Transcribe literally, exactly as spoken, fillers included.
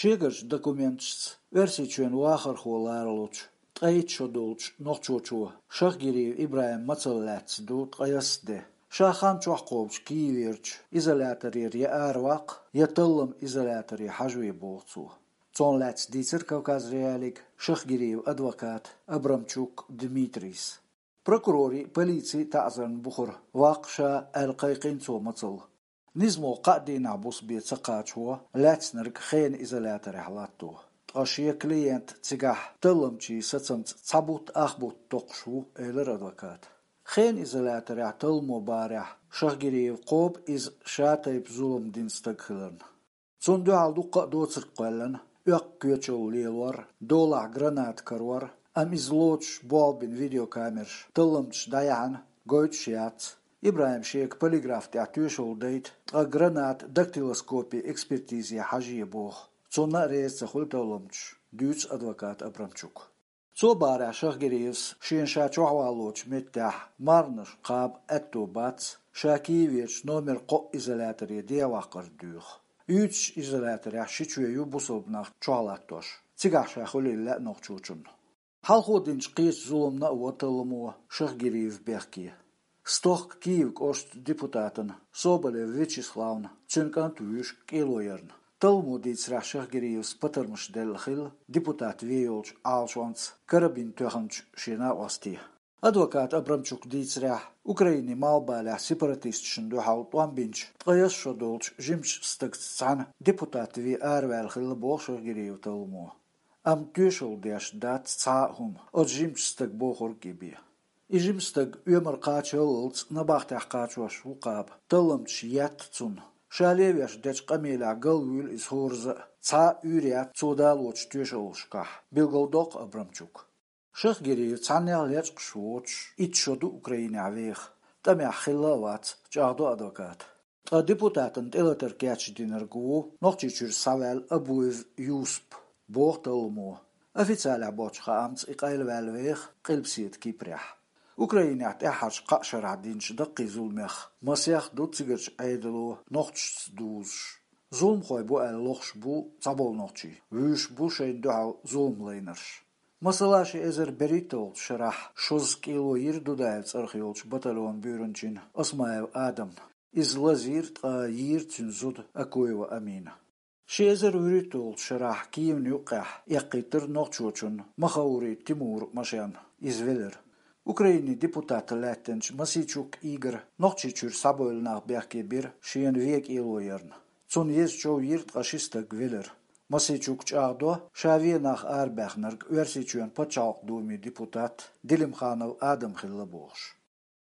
Шегарчу документашца Оьрсийчоьнан вахархо ларалучу ткъе итт шо долчу нохчочо Шахгириев ИбрахӀима мацалла лаьцна ду ткъе ялх де. Ша хан чохь кхобучу Киеверчу изоляторера я араваккха, я талламан изоляторе хьажаве боху цо. Цунах лаьцна дийцира Кавказ.Реалиига Шахгириевн адвоката Абрамчук Дмитрийс. Прокурорийн а, полицин а таӀзарна бухара ваккха ша аьлла кхайкхийна цо мацалла. Низамо кхаа дийнахь буса бен ца кхачаво лаьцнарг хенан изоляторехь латто. Ткъа шен клиент цигахь талламчийн сацамца цхьа бутт ах бутт токхуш ву, элира адвоката. Хенан изоляторехь талламо барехь Шахгириев кхобу иза ша тайпа зулам дина стаг хиларна. Цунна дуьхьал дуккха а доцург кхоьллина: оьккху коьчалла лелор, долахь граната карор, амма иза лоцуш болх бина видеокамераш талламчаша дӀаяьхьна гойтуш яц. ИбрахӀима шега полиграф тӀехь тоьшалла дайта, ткъа граната дактилоскопин экспертизе хьажае боху. Цунна а реза ца хуьлу талламчаш, дуьйцу адвоката Абрамчука. Цо барехь Шахгириевс шена ша чохь валлочу меттехь марханаш кхаба аьтто бац, ша Киеверчу номер кхоъ изоляторе дехьаваккхар доьху. Уьйцучу изоляторехь ши чоь ю бусалба нах чохь латтош. Цигахь ша хуьлийла лаьа нохчочунна. Хьалхо динчу кхечу зуламна а во талламо Шахгириев бехке. Стохка Киев кӀоштан депутатана Соболев Вячеславна цуьнан кӀант вуьйш кӀело ярна. Талламо дийцарехь Шахгириевс патармаш делла хилла депутат вен йолчу Ӏалашонца карабин тоьхначу шен накъосте. Адвоката Абрамчука дийцарехь, Украинин малхбалехь сепаратисташна дуьхьал тӀом бинчу ткъе ялх шо долчу жимачу стагца цхьаьна депутат вен араваьлла хилла боху Шахгириевн талламо. Амма тоьшалла деш дац цхьа а хӀума, оцу жимачу стага бохург а бен. И жима стаг оьмар кхачаллалц набахтехь кхачош ву кхаба, талламчаша етта цунна. Ша левеш дечу къамелехь галвуьйлу иза хӀоразза а, цхьа а уьйр яц цо далочу тоьшаллашкахь, билгалдоккху Абрамчука. Шахгириев цхьаннех лечкъаш воцуш итт шо ду Украинехь веха, тӀамехь хилла а вац, чӀагӀдо адвоката. Ткъа депутатан тӀелатар кечдинарг ву Нохчийчуьра схьаваьлла Абуев Юсуп, боху талламо. Официалехь боцчу хаамца и къайлаваьлла веха Къилбаседа Кипрехь. Украинехь тӀаьххьарчу кхаа шарахь динчу даккхий зуламех масех ду цигарчу Ӏедало нохчашца дузуш. Зуламхой бу аьлла лохуш бу цхьаболу нохчий, вуьйш бу шайна дуьхьал зулам лайнарш. Масала, ши эзар берхӀитталгӀачу шарахь шозза кӀело йира Дудаевн цӀарах йолчу батальонан буьйранчин Осмаев Адамна. Иза лазийра, ткъа йийра цуьнан зуда Акуева Амина. Ши эзар вуьрхӀитталгӀачу шарахь Киевна юккъехь эккхийтира нохчочунна Махаури Тимуран машен, иза велира. Украинин депутат лаьттинчу Мосийчук Игора Нохчийчуьра схьабевлла нах бехке бира шена вен кӀело ярна. Цунна еза чов йира, ткъа ши стаг велира. Мосийчук чӀагӀдо, ша вен нах арабаьхнарг Оьрсийчоьнан Пачхьалкхан Думин депутат Делимханов Адам хилла бохуш.